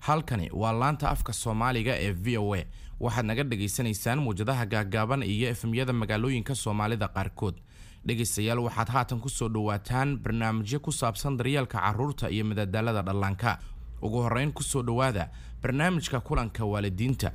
Halkani waa laanta afka Soomaaliga ee VOA. Waxaad naga dhagaysanaysaan muwjadaha gaagaaban iyo FM-yada magaalooyinka Soomaalida qaarkood. Dhegaystayaal, waxaad haatan ku soo dhowaataan barnaamijyo ku saabsan daryeelka carruurta iyo madadaalada dhallaanka. Ugu horreyn, ku soo dhowaada barnaamijka kulanka waalidiinta.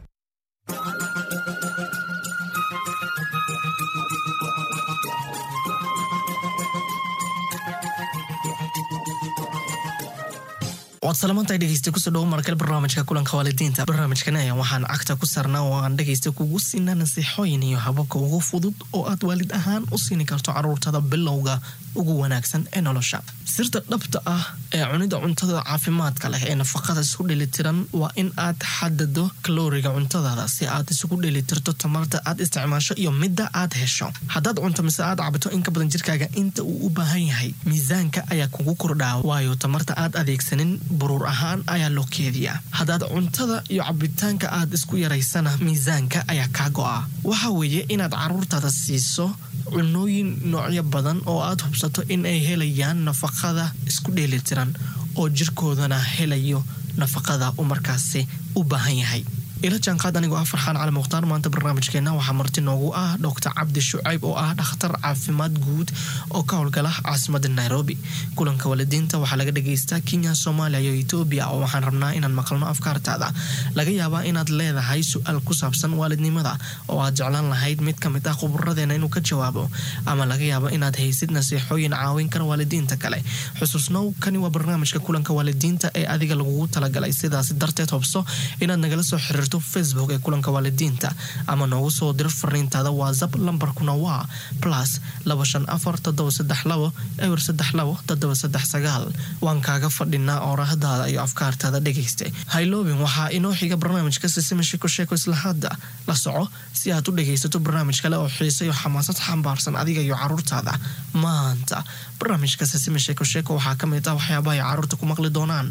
Waad salamantahay, dhegeysta. Kusoo dhawo markale barnaamijka kulanka waalidiinta. Barnaamijkan ayaa waxaan cagta ku saarnaa oo aan dhegeysta kugu siinaa nasiixooyin iyo hababka ugu fudud oo aad waalid ahaan u siini karto caruurtada bilowga ugu wanaagsan ee nolosha. Sirta dhabta ah ee cunida cuntada caafimaadka leh ee nafaqada isku dheelitiran waa in aad xadado kalooriga cuntadaada si aad isugu dheelitirto tamarta aad isticmaasho iyo midda aad hesho. Haddaad cunto mise aad cabto in ka badan jirkaaga inta uu u baahan yahay, miisaanka ayaa kugu kordhaa, waayo tamarta aad adeegsanin buruur ahaan ayaa loo keediyaa. Haddaad cuntada iyo cabitaanka aad isku yaraysana, miisaanka ayaa kaa go'a. Waxa weeye inaad caruurtaada siiso cunooyin noocyo badan oo aad hubsato in ay helayaan nafaqada isku dheelitiran oo jirkoodana helayo nafaqada uu markaasi u baahan yahay. Ila jaanqaad anigoo ah Farxaan Cali Mukhtaar. Maanta barnaamijkeena waxaa marti noogu ah Doctor Cabdi Shucayb oo ah dhakhtar caafimaad guud oo ka howlgala caasimada Nairobi. Kulanka waalidiinta waxaa laga dhageystaa Kenya, Soomaaliya iyo Etoobiya, oo waxaan rabnaa inaan maqalno afkaartaada. Laga yaabaa inaad leedahay su-aal ku saabsan waalidnimada oo aad jeclaan lahayd mid ka mid ah khuburadeena inuu ka jawaabo, ama laga yaabo inaad haysid nasiixooyin caawin kara waalidiinta kale. Xusuusnow, kani waa barnaamijka kulanka waalidiinta ee adiga lagugu talagalay. Sidaas darteed, hubso inaad nagala soo xiriirto Facebook ee kulanka waalidiinta ama noogu soo diro fariintaada WhatsApp. Lambarkuna waa +254 732 032 739. Waan kaaga fadhinaa oorahdaada iyo afkaartaada, dhegayste. Hayloobin, waxaa inoo xiga barnaamijka Sisima Sheeko Sheeko. Isla hadda la soco si aad u dhegaysato barnaamij kale oo xiise iyo xamaasad xambaarsan adiga iyo caruurtaada. Maanta barnaamijka Sisima Sheeko Sheeko waxaa ka mid ah waxyaabaha ay caruurta ku maqli doonaan.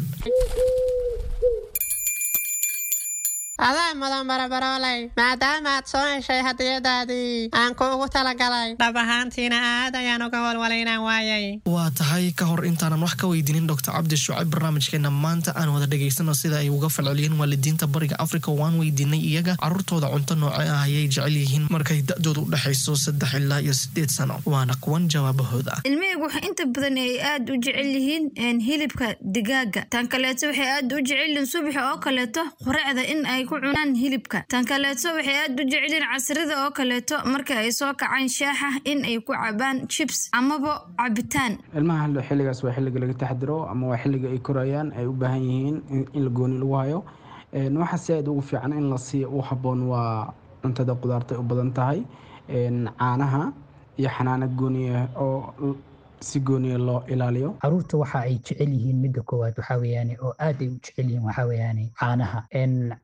Adaa mudan, barabarooley, maadaama aad soo heshay hadiyadaadii aan kuugu talagalay. Dhab ahaantiina aad ayaan uga walwalay inaan waayay. Waa tahay. Ka hor intaanan wax ka weydiinin Doctor Cabdi Shucayb barnaamijkeena maanta, aan wada dhegaysano sida ay uga falceliyeen waalidiinta Bariga Africa. Waan weydiinay iyaga caruurtooda cunto nooce ah ayay jecel yihiin markay da-doodu u dhexayso 3 ilaa iyo 8 sano. Waana kuwan jawaabahooda. Ilmahaygu waxa inta badan ay aad u jecel yihiin hilibka digaaga. Tan kaleeto, waxay aad u jecel yihiin subaxa oo kaleeto quraacda in ay ku cunaan hilibka. Tan kaleeto, waxay aad u jecel yihiin casrida oo kaleeto marka ay soo kacaan shaaxa in ay ku cabaan chips amaba cabitaan. Ilmaha xilligaas waa xilliga laga taxadiro ama waa xilliga ay korayaan, ay u baahan yihiin in la gooni lagu hayo. Waxa si aad ugu fiican in la siiyo u habboon waa cuntada qudaarta u badan tahay, caanaha iyo xanaano gooniya oo si gooniya loo ilaaliyo. Caruurta waxa ay jecel yihiin, midda koowaad waxaa weeyaane oo aad ay u jecel yihiin, waxaa weeyaane caanaha.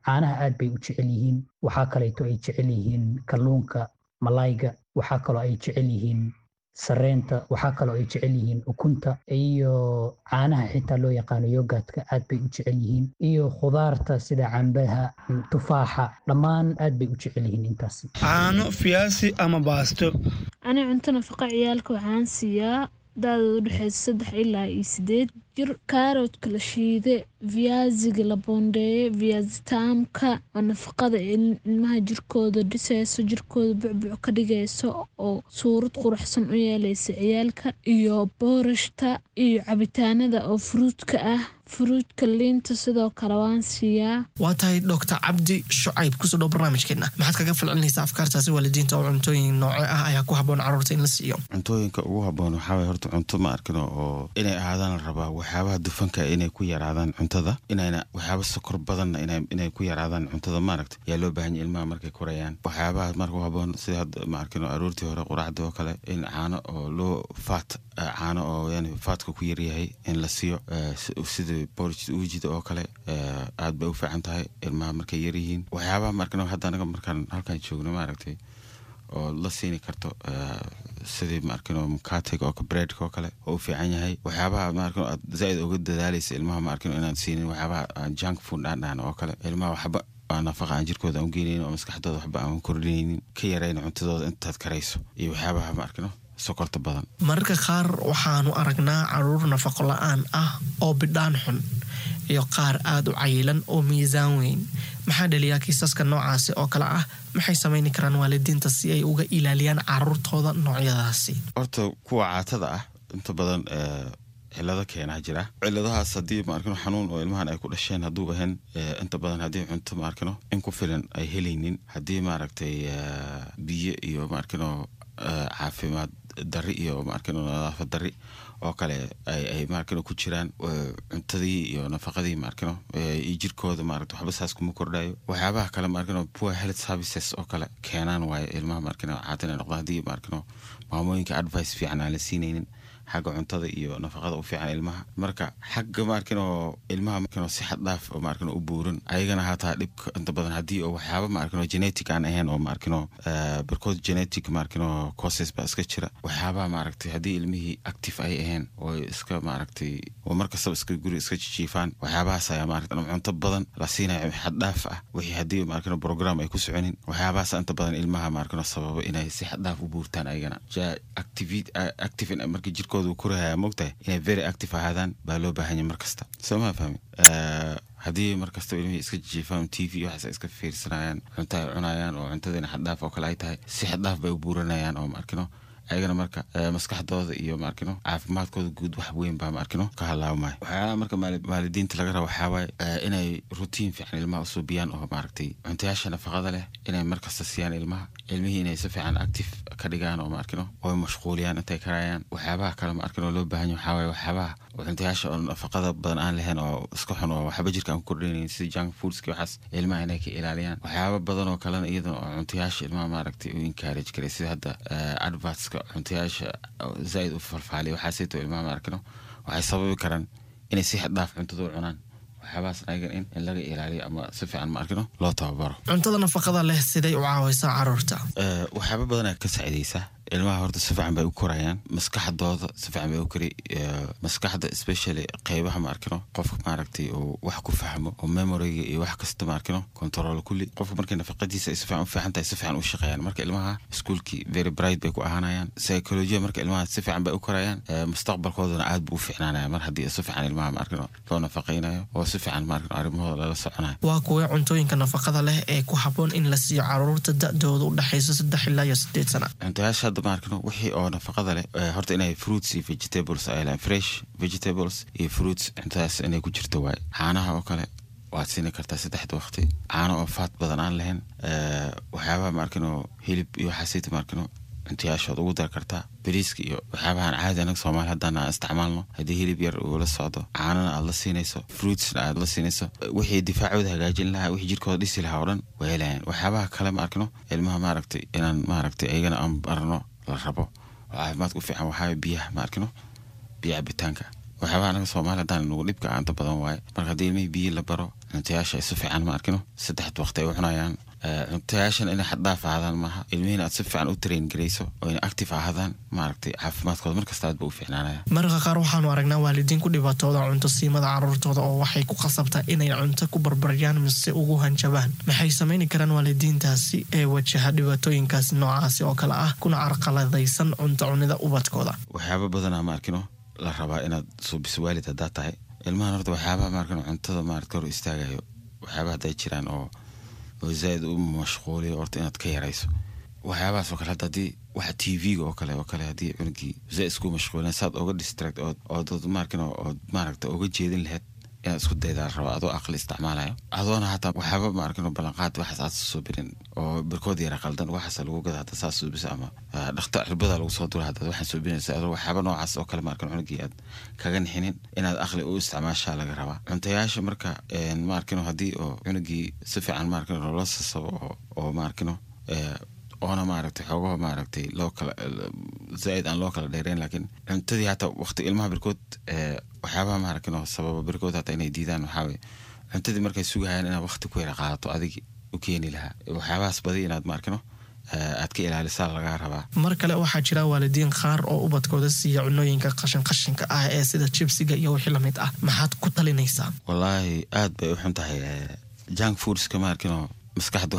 Caanaha aad bay u jecel yihiin. Waxaa kaleeto ay jecel yihiin kalluunka, malayga. Waxaa kaloo ay jecel yihiin sareenta. Waxaa kaloo ay jecel yihiin ukunta iyo caanaha xitaa loo yaqaano yogurtka, aad bay u jecel yihiin, iyo khudaarta sida cambaha, tufaaxa, dhammaan aad bay u jecel yihiin intaasi. Caano, fiyaasi ama baasto. Ani cunto nafaqa ciyaalka waxaan siiyaa da-dooda udhexeysa 3 ilaa iyo 8 jir kaaroodka la shiide, viaziga la boondeeye, viazi taamka oo nafaqada ilmaha jirkooda dhiseyso, jirkooda bucbuc ka dhigeyso oo suurad quruxsan u yeeleysa ciyaalka, iyo boorashta iyo cabitaanada oo fruitka ah, fruitka, liinta sidoo kale waan siiyaa. Waa tahay. Doctor Cabdi Shucayb, kusoo dhow barnaamijkeena. Maxaad kaga falcelinaysaa afkaartaasi waalidiinta oo cuntooyin nooce ah ayaa ku habboon caruurta in la siiyo? Cuntooyinka ugu habboon waxaa waye horta cunto, ma arkino, oo inay ahaadaan la rabaa waxyaabaha dufanka inay ku yaraadaan cuntada, inayna waxyaaba sokor badanna inay ku yaraadaan cuntada, maaragta, yaa loo baahan yahay ilmaha markay korayaan. Waxyaabaha marka u habboon sida hadda, ma arkino, aroortii hore quraacda oo kale in caano oo loo fat, caano oo yani fatka ku yaryahay in la siiyo, sida porridge uujida oo kale, aad bay u fiican tahay ilmaha markay yaryihiin. Waxyaabaha, ma arkino, hadda anaga markaan halkan joogno, maaragtay, oo la siini karto sidii, ma arkino, mkatega oo breadka oo kale oo u fiican yahay. Waxyaabaha, ma arkino, aad zaaid uga dadaalaysa ilmaha, ma arkino, inaad siinin waxyaabaha aan junk food aan dhahno oo kale. Ilmaha waxba aan nafaqa aan jirkooda aan u geynaynin oo maskaxdooda waxba aan kordhinaynin, ka yarayna cuntadooda intaad karayso, iyo waxyaabaha, ma arkino, sokorta badan. Mararka qaar waxaanu aragnaa caruur nafaqo la-aan ah oo bidhaan xun. iyo qaar aada u cayilan oo miisaan weyn. Maxaa dhaliyaa kiisaska noocaasi oo kale ah? Maxay samayni karaan waalidiinta si ay uga ilaaliyaan caruurtooda noocyadaasi? Horta kuwa caatada ah inta badan cilado keenaa jira. Ciladahaas haddii maarkino xanuun oo ilmahan ay ku dhasheen hadduu ahayn, inta badan haddii cunto maarkino in ku filan ay helaynin, haddii maaragtay biyo iyo maarkino caafimaad dari iyo maarkino nadaafad dari oo kale ay maarkino ku jiraan, cuntadii iyo nafaqadii maarkino iyo jirkooda maaragta waxba saas kuma kordhayo. Waxyaabaha kale maarkino poor health services oo kale keenaan waaye ilmaha maarkino caata inay noqdaan, haddii maarkino maamooyinka advice fiican aan la siinaynin xagga cuntada iyo nafaqada u fiican ilmaha. Marka xagga maarkino ilmaha maarkino si xad dhaaf oo maarkino u buuran ayagana hataa dhibka inta badan haddii oo waxyaaba maarkino genetic aan ahayn oo maarkino barkood genetic maarkino causes baa iska jira. Waxyaabaha maaragtay haddii ilmihii active ay ahayn oo iska maaragtay oo mar kastaba iska guri iska jijiifaan, waxyaabahaas ayaa maaragtay cunto badan la siinayo xad dhaaf ah, wixii haddii maarkino program ay ku soconin, waxyaabahaas inta badan ilmaha maarkino sababa inay si xad dhaaf u buurtaan. Ayagana ja active marka jirkooda uu korahaya, moogtahay inay very active ahaadaan baa loo baahan yahay mar kasta, soo ma fahmi? Haddii mar kastaba ilmihii iska jijiifaan, TV waxaas ay iska fiirsanayaan, cunto ay cunayaan oo cuntadiina xaddhaaf oo kale ay tahay, si xaddhaaf bay u buuranayaan oo maarkino ayagana marka maskaxdooda iyo maarkino caafimaadkooda guud wax weyn baa maarkino ka halaabmaya. Waxyaalaha marka waalidiinta laga rabo waxaa waaye inay routine fiican ilmaha usuubiyaan oo maaragtay cuntayaasha nafaqada leh inay markasta siiyaan ilmaha, ilmihii inay si fiican active ka dhigaan oo maarkino oo mashquuliyaan intay karayaan. Waxyaabaha kale maarkino loo baahan yahay waxaa waaye waxyaabaha cuntayaasha oo nafaqada badan aan lahayn oo iska xun oo waxba jirka aan ku kordhinaynin, sida junk foodska, waxaas ilmaha inay ka ilaaliyaan. Waxyaaba badan oo kalena iyadana oo cuntayaasha ilmaha maaragtay u encourage karay, sida hadda advertska cuntayaasha zaaid u falfaaliya, waxaasayto ilmaha maarkino waxay sababi karaan inay si xad dhaaf cuntada u cunaan. Waxyaabahaas ayagan in laga ilaaliyo ama si fiican maarkino loo tababaro. Cuntada nafaqada leh siday u caawaysaa caruurta? Waxyaaba badanaa ka saacidaysa ilmaha. Horta si fiican bay u korayaan, maskaxdooda si fiican bay u kori, maskaxda especially qeybaha maarkino qofka maaragtay uu wax ku fahmo oo memoryga iyo wax kasta maarkino control kulli. Qofka markay nafaqadiisa ay si fiican u fiican tahay, si fiican u shaqeeyaan. Marka ilmaha iskuulkii very bright bay ku ahaanayaan, psychology marka ilmaha si fiican bay u korayaan, mustaqbalkoodana aad buu u fiicnaanaya mar haddii si fiican ilmaha maarkino loo nafaqaynayo oo si fiican maarkino arrimahooda lala soconayo. Waa kuwee cuntooyinka nafaqada leh ee ku habboon in la siiyo caruurta da'dooda u dhexaysa 3 ilaa iyo 8 sana? Cuntayaasha hadda maarkino wixii oo nafaqada leh, horta inay fruits iyo vegetables ay leeyihiin, fresh vegetables iyo fruits, cuntadaas inay ku jirto waaye. Caanaha oo kale waad siini kartaa saddexda waqti, caano oo faat badan aan lahayn. Waxyaabaha maarkino hilib iyo waxaasayta maarkino cuntayaashood ugu dar kartaa. Bariiska iyo waxyaabahan caadi anaga Soomaali haddaan aan isticmaalno, haddii hilib yar uu la socdo, caanana aad la siinayso, fruitsna aad la siinayso, wixii difaacooda hagaajin lahaa, wixii jirkooda dhisi lahaa oo dhan way helayaan. Waxyaabaha kale ma arkino ilmaha maaragtay inaan maaragtay ayagana aan barno la rabo oo caafimaadka u fiican waxaa biyaha ma arkino, biyo cabitaanka. Waxyaabaha anaga Soomaali haddaan nugu dhibka inta badan waaye. Marka haddii ilmihii biyo la baro, cuntayaasha ay si fiican ma arkino saddexda waqti ay u cunayaan, cuntayaashan inay xaddhaaf ahaadaan maaha, ilmihiina aad si fiican u train garayso oo inay active ahaadaan, maaragtay caafimaadkooda markasta aad ba u fiicnaanaya. Mararka qaar waxaanu aragnaa waalidiin ku dhibaatooda cunto siimada caruurtooda oo waxay ku khasabtaa inay cunto ku barbaryaan mise ugu hanjabaan. Maxay samayni karaan waalidiintaasi ee wajaha dhibaatooyinkaas noocaasi oo kale ah kuna carqaladaysan cunto cunida ubadkooda? Waxyaaba badanaa ma arkino la rabaa inaad suubiso waalid haddaad tahay ilmahan. Horta waxyaabaha maarkino cuntada maarata hor istaagayo, waxyaabaha hadday jiraan oo zaaid u mashquuliyo, horta inaad ka yarayso waxyaabahaas oo kale. Hadda haddii waxa TV-ga oo kale haddii cunugii zaaid isku mashquulin, saad oga distract ood maarkino ood maaragta oga jeedin lahayd inaad isku daydaa la rabaa, adoo aqli isticmaalayo, adoona hataa waxyaaba maarkino ballanqaad waxaas aad soo birin oo barkood yara qaldan waxaas lagu gada hadda saas suubisa ama dhakta cirbada lagu soo dura haddaad waxaan suubinaysa, adoo waxyaaba noocaas oo kale maarkino cunugii aad kaga nixinin, inaad aqli u isticmaashaa laga rabaa cuntayaasha. Marka maarkino haddii oo cunugii si fiican maarkino loola sasabo oo maarkino oona maaragtay xoogaho maaragtay loo kala zaaid aan loo kala dheereyn, laakiin cuntadii hataa waqti ilmaha barkood, waxyaabaha maaragtay sababa barkood hataa inay diidaan waxaa waye cuntadii markay sugahayaan inaad waqti ku yara qaadato adigi u keeni lahaa. Waxyaabahaas badi inaad maarkino aad ka ilaalisaa lagaa rabaa. Mar kale waxaa jira waalidiin qaar oo ubadkooda siiya cunooyinka qashin qashinka ah ee sida jibsiga iyo wixii lamid ah. Maxaad ku talinaysaa? Wallaahi aad bay u xun tahay junk foodska maarkino maskaxda.